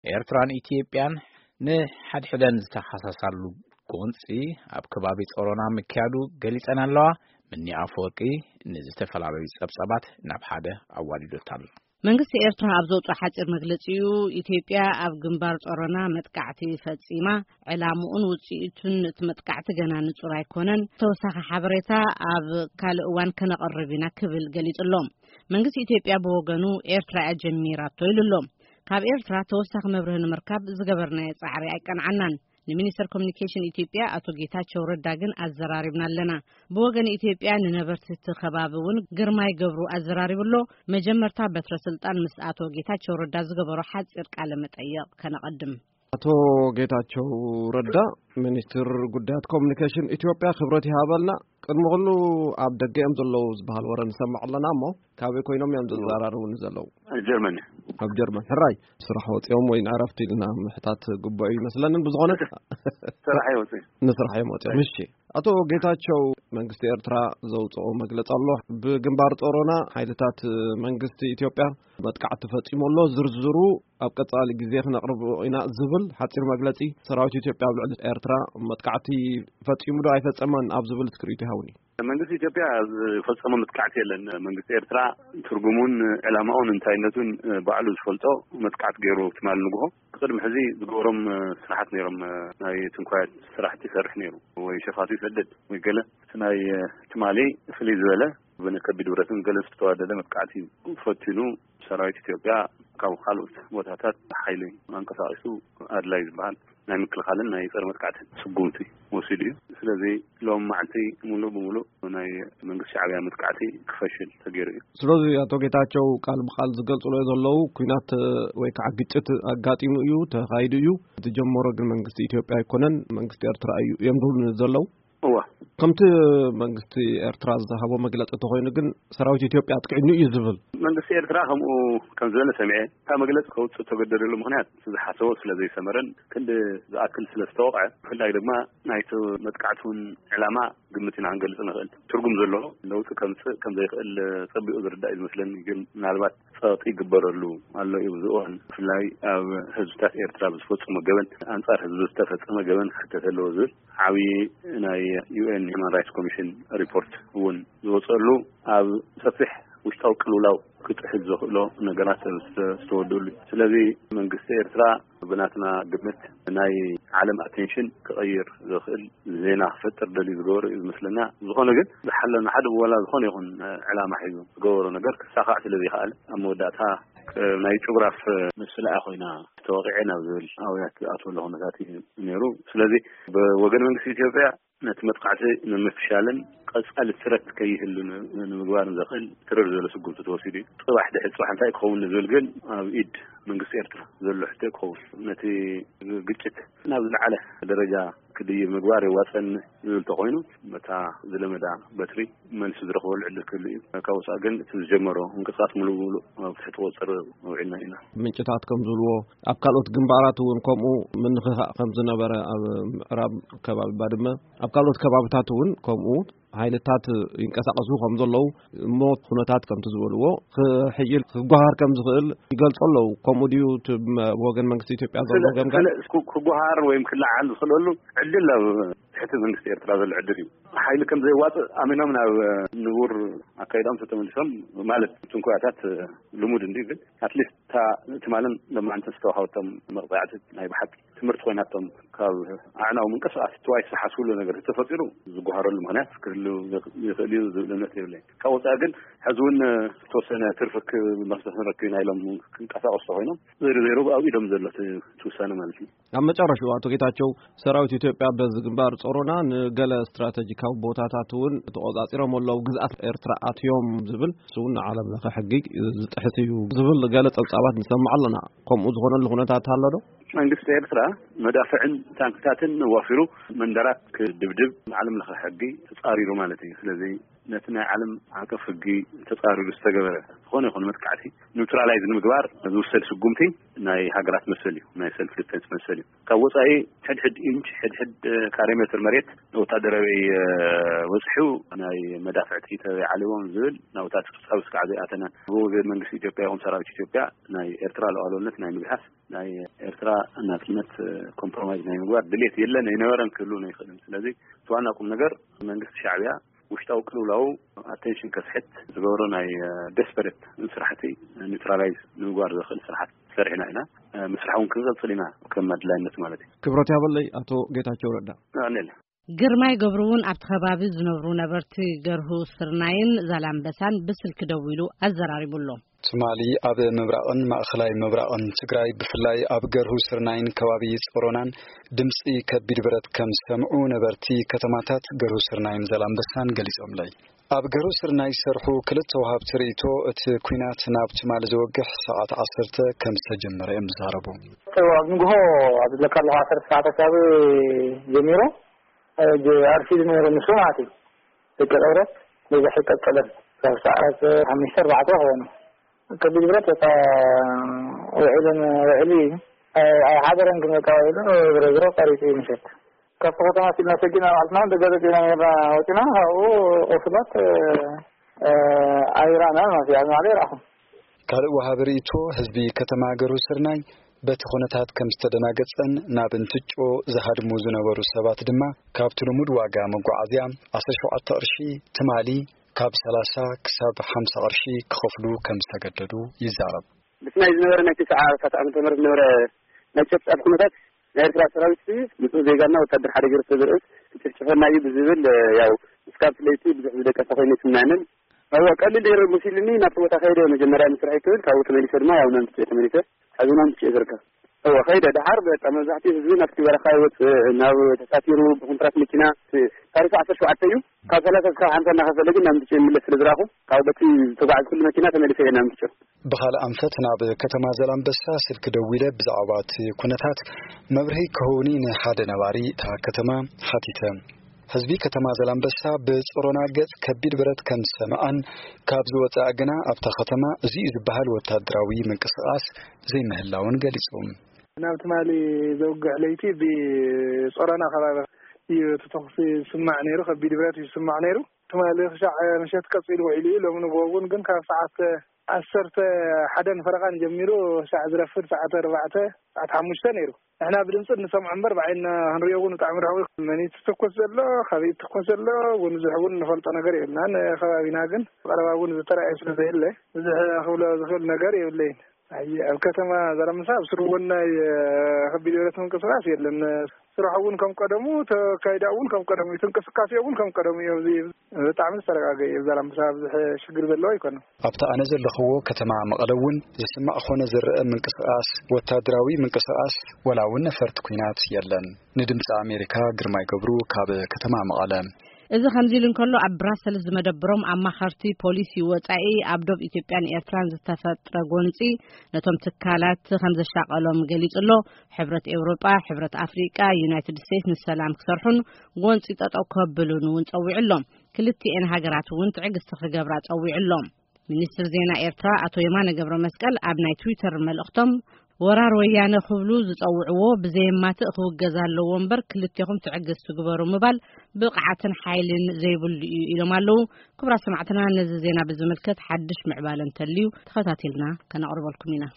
ኤርትራን ኢትዮጵያን ንሓድሕደን ዝተሓሳሳሉ ጎንፂ ኣብ ከባቢ ጾሮና ምክያዱ ገሊጸን ኣለዋ። ምኒ ኣፈወርቂ ንዝተፈላለዩ ጸብጸባት ናብ ሓደ ኣዋዲዶታል። መንግስቲ ኤርትራ ኣብ ዘውፅኦ ሓፂር መግለፂኡ፣ ኢትዮጵያ ኣብ ግንባር ጾሮና መጥቃዕቲ ፈጺማ፣ ዕላምኡን ውፅኢቱን እቲ መጥቃዕቲ ገና ንጹር ኣይኮነን። ተወሳኺ ሓበሬታ ኣብ ካልእ እዋን ከነቕርብ ኢና ክብል ገሊጹ ኣሎ። መንግስቲ ኢትዮጵያ ብወገኑ፣ ኤርትራ እያ ጀሚራቶ ኢሉ ኣሎ። ካብ ኤርትራ ተወሳኺ መብርሂ ንምርካብ ዝገበርናዮ ጻዕሪ ኣይቀንዓናን። ንሚኒስተር ኮሚኒኬሽን ኢትዮጵያ ኣቶ ጌታቸው ረዳ ግን ኣዘራሪብና ኣለና። ብወገን ኢትዮጵያ ንነበርቲ እቲ ከባቢ እውን ግርማይ ገብሩ ኣዘራሪቡ ኣሎ። መጀመርታ በትረ ስልጣን ምስ ኣቶ ጌታቸው ረዳ ዝገበሮ ሓፂር ቃለ መጠይቕ ከነቐድም። ኣቶ ጌታቸው ረዳ፣ ሚኒስትር ጉዳያት ኮሚኒኬሽን ኢትዮጵያ፣ ክብረት ይሃበልና። ቅድሚ ኩሉ፣ ኣብ ደገ እዮም ዘለዉ ዝበሃል ወረ ንሰምዕ ኣለና እሞ፣ ካበይ ኮይኖም እዮም ዝዘራረቡኒ ዘለዉ? ኣብ ጀርመን። ኣብ ጀርመን። ሕራይ፣ ስራሕ ወፂኦም ወይ ንዕረፍቲ ኢልና ምሕታት ግቡእ እዩ ይመስለንን። ብዝኾነ፣ ስራሕ እዮም ወፂኦም። ንስራሕ እዮም ወፂኦም። እሺ። ኣቶ ጌታቸው፣ መንግስቲ ኤርትራ ዘውፅኦ መግለፂ ኣሎ። ብግንባር ጾሮና ሓይልታት መንግስቲ ኢትዮጵያ መጥቃዕቲ ፈፂሙ ኣሎ። ዝርዝሩ ኣብ ቀፃሊ ግዜ ክነቕርቦ ኢና ዝብል ሓፂር መግለፂ። ሰራዊት ኢትዮጵያ ኣብ ልዕሊ ኤርትራ መጥቃዕቲ ፈፂሙ ዶ ኣይፈፀመን ኣብ ዝብል እስክሪቱ ይሃውኒ። መንግስቲ ኢትዮጵያ ዝፈጸመ መጥቃዕቲ የለን። መንግስቲ ኤርትራ ትርጉሙን ዕላማኡን እንታይነቱን ባዕሉ ዝፈልጦ መጥቃዕቲ ገይሩ ትማሊ ንግሆ። ቅድሚ ሕዚ ዝገበሮም ስራሓት ነይሮም። ናይ ትንኳያት ስራሕቲ ይሰርሕ ነይሩ፣ ወይ ሸፋቱ ይሰድድ፣ ወይ ገለ። እቲ ናይ ትማሊ ፍልይ ዝበለ፣ ብነ ከቢድ ብረትን ገለ ዝተዋደደ መጥቃዕቲ ፈቲኑ፣ ሰራዊት ኢትዮጵያ ካብ ካልኦት ቦታታት ሓይሊ ኣንቀሳቒሱ ኣድላይ ዝበሃል ናይ ምክልኻልን ናይ ጸረ መጥቃዕትን ስጉምቲ ወሲዱ እዩ። ስለዚ ሎም መዓልቲ ሙሉእ ብሙሉእ ናይ መንግስቲ ሻዕብያ መጥቃዕቲ ክፈሽል ተገይሩ እዩ። ስለዚ ኣቶ ጌታቸው ቃል ብቃል ዝገልጽሎ ዘለዉ፣ ኲናት ወይ ከዓ ግጭት ኣጋጢሙ እዩ፣ ተኻይዱ እዩ፣ ዝጀመሮ ግን መንግስቲ ኢትዮጵያ ኣይኮነን፣ መንግስቲ ኤርትራ እዩ እዮም ዝብሉ ዘለዉ። እዋ። ከምቲ መንግስቲ ኤርትራ ዝሃቦ መግለጺ እንተኾይኑ ግን፣ ሰራዊት ኢትዮጵያ ኣጥቂዕኒ እዩ ዝብል። መንግስቲ ኤርትራ ከምኡ ከም ዝበለ ሰሚዐ። እታ መግለጺ ከውጽእ እተገደደሉ ምኽንያት፣ እቲ ዝሓሰቦ ስለ ዘይሰመረን ክንዲ ዝኣክል ስለ ዝተወቕዐ፣ ብፍላይ ድማ ናይቲ መጥቃዕቲ እውን ዕላማ ግምት ኢና ክንገልጽ ንኽእል። ትርጉም ዘለዎ ለውጢ ከምጽእ ከም ዘይኽእል ጸቢቑ ዝርዳእ እዩ ዝመስለኒ። ግን ምናልባት ጸቕጢ ይግበረሉ ኣሎ እዩ ኣብዚ እዋን። ብፍላይ ኣብ ህዝብታት ኤርትራ ብዝፈጸሞ ገበን፣ ኣንጻር ህዝቢ ዝተፈጸመ ገበን ክሕተት ኣለዎ ዝብል ዓብዪ ናይ ዩ ኤን ሂማን ራይትስ ኮሚሽን ሪፖርት እውን ዝወፀሉ፣ ኣብ ሰፊሕ ውሽጣዊ ቅልውላው ክጥሕል ዘኽእሎ ነገራት ዝተወደሉ እዩ። ስለዚ መንግስቲ ኤርትራ ብናትና ግምት ናይ ዓለም ኣቴንሽን ክቐይር ዘኽእል ዜና ክፈጥር ደልዩ ዝገበሮ እዩ ዝመስለና። ዝኾነ ግን ዝሓለና ሓደ ዋላ ዝኾነ ይኹን ዕላማ ሒዙ ዝገበሮ ነገር ክሳኻዕ ስለ ዘይከኣለ፣ ኣብ መወዳእታ ናይ ጭጉራፍ ምስላ ኮይና ተወቂዐ ናብ ዝብል ኣውያት ዝኣተወሉ ኩነታት እዩ ነይሩ። ስለዚ ብወገን መንግስቲ ኢትዮጵያ ነቲ መጥቃዕቲ ንምፍሻልን ቀጻሊ ትረት ከይህሉ ን-፣ ንምግባርን ዘኽእል ትርር ዝበለ ስጉምቲ ተወሲዱ እዩ። ጽባሕ ድሕሪ ጽባሕ እንታይ ክኸውን ንዝብል ግን ኣብ ኢድ መንግስቲ ኤርትራ ዘሎ ሕቶ ክኸውን፣ ነቲ ግጭት ናብ ዝለዓለ ደረጃ ክድይብ ምግባር የዋጸን ዝብል ተኾይኑ፣ በታ ዝለመዳ በትሪ መልሲ ዝረኽበሉ ዕድል ክህሉ እዩ። ካብ ወጻኢ ግን እቲ ዝጀመሮ ምንቅስቃስ ሙሉእ ብሙሉእ ኣብ ትሕቲ ቁጽጽር ኣውዒልና ኢና። ምንጭታት ከም ዝብልዎ፣ ኣብ ካልኦት ግንባራት እውን ከምኡ ምንኽኻእ ከም ዝነበረ፣ ኣብ ምዕራብ ከባቢ ባድመ፣ ኣብ ካልኦት ከባብታት እውን ከምኡ ሓይልታት ይንቀሳቐሱ ከም ዘለዉ፣ እሞ ኩነታት ከምቲ ዝበልዎ ክሕይል ክጓሃር ከም ዝኽእል ይገልጹ ኣለዉ። ከምኡ ድዩ እቲ መ-፣ ወገን መንግስቲ ኢትዮጵያ ዘሎ ስለ-፣ ገምጋም? ስለ-፣ ክጉ-፣ ክጉሃር ወይም ክለዓል ዝኽእለሉ ዕድል ኣብ ትሕቲ መንግስቲ ኤርትራ ዘሎ ዕድል እዩ። ሓይሊ ከም ዘይዋጽእ ኣሚኖም ናብ ንቡር ኣካይዳኦም ተተመሊሶም ማለት ትንኮያታት ልሙድ እንድዩ፣ ግን ኣትሊስት እታ ትማልን ለማዕንትን ዝተዋሃበቶም መቕጻዕቲ ናይ ብሓቂ ትምህርቲ ኮይናቶም፣ ካብ ኣዕናዊ ምንቅስቃስ ትዋይ ዝሓስብሉ ነገር ተፈጢሩ ዝጓሃረሉ ምኽንያት ክህሉ ይኽእል እዩ ዝብል እምነት የብለይን። ካብ ወጻኢ ግን ሕዚ እውን ዝተወሰነ ትርፊ ክ-፣ መፍትሒ ንረክብ ኢና ኢሎም ክንቀሳቀሱ ኮይኖም፣ ዘይሩ ዘይሩ ኣብ ኢዶም ዘሎ እቲ፣ እቲ ውሳነ ማለት እዩ። ኣብ መጨረሻ ኣቶ ጌታቸው፣ ሰራዊት ኢትዮጵያ በዚ ግንባር ጾሮና ንገለ ስትራተጂካዊ ቦታታት እውን ተቆጻጺሮም ኣለዉ፣ ግዝኣት ኤርትራ ኣትዮም ዝብል፣ እሱ እውን ንዓለም ለኸ ሕጊ ዝጥሕስ እዩ ዝብል ገለ ጸብጻባት ንሰምዕ ኣለና። ከምኡ ዝኾነሉ ኩነታት ኣሎ ዶ? መንግስቲ ኤርትራ መዳፍዕን ታንክታትን ዋፊሩ መንደራት ክድብድብ ንዓለም ለኸ ሕጊ ተጻሪሩ ማለት እዩ። ስለዚ ነቲ ናይ ዓለም ዓቀፍ ሕጊ ተጻሪሩ ዝተገበረ ዝኾነ ይኹን መጥቃዕቲ ኒውትራላይዝ ንምግባር ዝውሰድ ስጉምቲ ናይ ሃገራት መሰል እዩ፣ ናይ ሰልፍ ዲፌንስ መሰል እዩ። ካብ ወጻኢ ሕድሕድ ኢንች፣ ሕድሕድ ካሬ ሜትር መሬት ወታደራዊ ወጽሑ ናይ መዳፍዕቲ ተበይ ዓሊቦም ዝብል ናውታት ክጻብ ስጋዕ ዘይኣተና፣ ብኡ መንግስቲ ኢትዮጵያ ይኹን ሰራዊት ኢትዮጵያ ናይ ኤርትራ ሉዓላውነት ናይ ምግሃስ፣ ናይ ኤርትራ ናጽነት ኮምፕሮማይዝ ናይ ምግባር ድሌት የለን፣ ኣይነበረን፣ ክህሉ ኣይኽእልን። ስለዚ እቲ ዋና ቁም ነገር መንግስቲ ሻዕቢያ ውሽጣዊ ቅልውላው ኣቴንሽን ከስሕት ዝገብሮ ናይ ደስፐሬት ስራሕቲ ኒውትራላይዝ ንምግባር ዘኽእል ስራሕቲ ሰሪሕና ኢና። ምስራሕ እውን ክንቀጽል ኢና ከም ኣድላይነት ማለት እዩ። ክብረት ያበለይ ኣቶ ጌታቸው ረዳ። ኣኔለ ግርማይ ገብሩ እውን ኣብቲ ከባቢ ዝነብሩ ነበርቲ ገርሁ ስርናይን ዛላምበሳን ብስልኪ ደዊሉ ኣዘራሪቡ ኣሎ። ትማሊ ኣብ ምብራቕን ማእኸላይ ምብራቕን ትግራይ፣ ብፍላይ ኣብ ገርሁ ስርናይን ከባቢ ጾሮናን ድምፂ ከቢድ ብረት ከም ዝሰምዑ ነበርቲ ከተማታት ገርሁ ስርናይን ዛላምበሳን ገሊጾምለይ። ኣብ ገርሁ ስርናይ ዝሰርሑ ክልተ ወሃብቲ ርእይቶ፣ እቲ ኲናት ናብ ትማሊ ዘወግሕ ሰዓት ዓሰርተ ከም ዝተጀመረ እዮም ዝዛረቡ። ኣብ ንግሆ ኣብ ዝለካ ኣለኹ ዓሰርተ ሰዓት ኣካባቢ ጀሚሩ፣ እ፣ ጀ-፣ ኣርፊዱ ነይሩ ንሱ ማለት እዩ። ደቂ ቀብረት በዛሕ ይቀጸለን ካብ ሰዓት ሓሙሽተ ኣርባዕተ ክኾኑ ከቢድ ብረት በቃ ውዒለን ውዒሉ እዩ። ኣይ-፣ ኣይሓደረን ግን በቃ ውዒሉ ዝረዝሮ ቀሪጹ እዩ ምሸት። ካብቲ ከተማ ሲልና ሰጊና ባዕልትና ደገ ዘጊና ነርና ወጺና ካብኡ ቁስላት፣ እ፣ ኣይራና ማለት እዩ። ኣብ ማዕለ ይረኣኹም። ካልእ ወሃቢ ርእይቶ ህዝቢ ከተማ ገርሁ ስርናይ በቲ ኩነታት ከም ዝተደናገጸን ናብ እንትጮ ዝሃድሙ ዝነበሩ ሰባት ድማ ካብቲ ልሙድ ዋጋ መጓዓዝያ ዓሰርተ ሸውዓተ ቅርሺ ትማሊ ካብ ሰላሳ ክሳብ ሓምሳ ቅርሺ ክኸፍሉ ከም ዝተገደዱ ይዛረብ። ብስናይ ዝነበረ ናይ ትስዓ ዓሰርተ ዓመተ ምህረት ዝነበረ ናይ ጨፍጫፍ ኩነታት ናይ ኤርትራ ሰራዊት ንጹህ ዜጋና ወታደር ሓደ ገይሩ ስለ ዝርእስ ክጭፍጭፈና እዩ ብዝብል፣ ያው እስካብ ለይቲ ብዙሕ ዝደቀሰ ኮይኑ ኣይስምዐንን። እወ፣ ቀሊል ነይሩ መሲሉኒ። ናብቲ ቦታ ከይደ መጀመርያ ምስራሕ ይትብል፣ ካብኡ ተመሊሰ ድማ ያው ናምትጭ ተመሊሰ። ሕዚ ናምትጭ ዝርከብ። እወ፣ ከይደ። ደሓር በቃ መብዛሕትኡ ህዝቢ ናብቲ በረኻ ይወፅእ፣ ናብ ተሳፊሩ ብኮንትራት መኪና፣ ታሪፍ ዓሰርተ ሸውዓተ እዩ። ካብ ሰላሳ እስካብ ሓምሳ እናኸፈለ ግን ናምትጭ ይምለስ ስለ ዝረኣኹ፣ ካብ በቲ ዝተጓዓዝኩሉ መኪና ተመሊሰ እየ ናምትጭ። ብኻልእ ኣንፈት ናብ ከተማ ዘላምበሳ ስልኪ ደዊለ ብዛዕባ እቲ ኩነታት መብርሂ ክህቡኒ ንሓደ ነባሪ እታ ከተማ ሓቲተ። ህዝቢ ከተማ ዘላምበሳ ብጾሮና ገጽ ከቢድ ብረት ከም ዝሰምዐን ካብ ዝወጽኣ ግና ኣብታ ከተማ እዚ እዩ ዝበሃል ወታደራዊ ምንቅስቓስ ዘይምህላውን ገሊጹ። ናብ ትማሊ ዘውግዕ ለይቲ ብጾሮና ከባቢ እዩ እቲ ተኹሲ ዝስማዕ ነይሩ፣ ከቢድ ብረት እዩ ዝስማዕ ነይሩ። ትማሊ ክሻዕ ምሸት ቀጺሉ ውዒሉ እዩ። ሎሚ ንግሆ እውን ግን ካብ ሰዓት ዓሰርተ ሓደን ፈረቓን ጀሚሩ ክሳዕ ዝረፍድ ሰዓት ኣርባዕተ፣ ሰዓት ሓሙሽተ ነይሩ። ንሕና ብድምፂ እንሰምዖ እምበር ብዓይንና ክንሪኦ እውን ብጣዕሚ ርሑቕ እዩ። መን እዩ ትትኮስ ዘሎ፣ ካበይ ትትኮስ ዘሎ እውን ብዙሕ እውን እንፈልጦ ነገር የብልናን። ከባቢና ግን ቀረባ እውን ዝተረኣየ ስለ ዘየለ ብዙሕ ክብሎ ዝኽእል ነገር የብለይን። ኣየ፣ ኣብ ከተማ ዛላምበሳ ኣብ ስሩ እውን ናይ፣ እ፣ ከቢድ ብረት ምንቅስቃስ የለን። ስራሕ እውን ከም ቀደሙ፣ ተካይዳ እውን ከም ቀደሙ እዩ፣ እንቅስቃሴ እውን ከም ቀደሙ እዩ። ኣብዚ ብጣዕሚ ዝተረጋገ እዩ። ዛላምበሳ ብዙሕ ሽግር ዘለዎ ኣይኮነን። ኣብቲ ኣነ ዘለኽዎ ከተማ መቐለ እውን ዝስማዕ ኾነ ዝረአ ምንቅስቃስ፣ ወታደራዊ ምንቅስቃስ ወላ እውን ነፈርቲ ኲናት የለን። ንድምፂ ኣሜሪካ ግርማይ ገብሩ ካብ ከተማ መቐለ። እዚ ከምዚ ኢሉ እንከሎ፣ ኣብ ብራሰልስ ዝመደብሮም ኣማኸርቲ ፖሊሲ ወጻኢ ኣብ ዶብ ኢትዮጵያን ኤርትራን ዝተፈጥረ ጎንጺ ነቶም ትካላት ከም ዘሻቐሎም ገሊጹ ኣሎ። ሕብረት ኤውሮጳ፣ ሕብረት ኣፍሪቃ፣ ዩናይትድ ስቴትስ ንሰላም ክሰርሑን ጎንጺ ጠጠው ከብሉን እውን ጸዊዑ ኣሎ። ክልቲኤን ሃገራት እውን ትዕግስቲ ክገብራ ጸዊዑ ኣሎ። ሚኒስትር ዜና ኤርትራ ኣቶ የማነ ገብረ መስቀል ኣብ ናይ ትዊተር መልእኽቶም፣ ወራር ወያነ ክብሉ ዝጸውዕዎ ብዘየማትእ ክውገዝ ኣለዎ እምበር ክልቴኹም ትዕግስቲ ግበሩ ምባል ብቕዓትን ሓይልን ዘይብሉ እዩ ኢሎም ኣለዉ። ክቡራት ሰማዕትና፣ ነዚ ዜና ብዝምልከት ሓድሽ ምዕባለ እንተልዩ ተኸታቲልና ከነቕርበልኩም ኢና።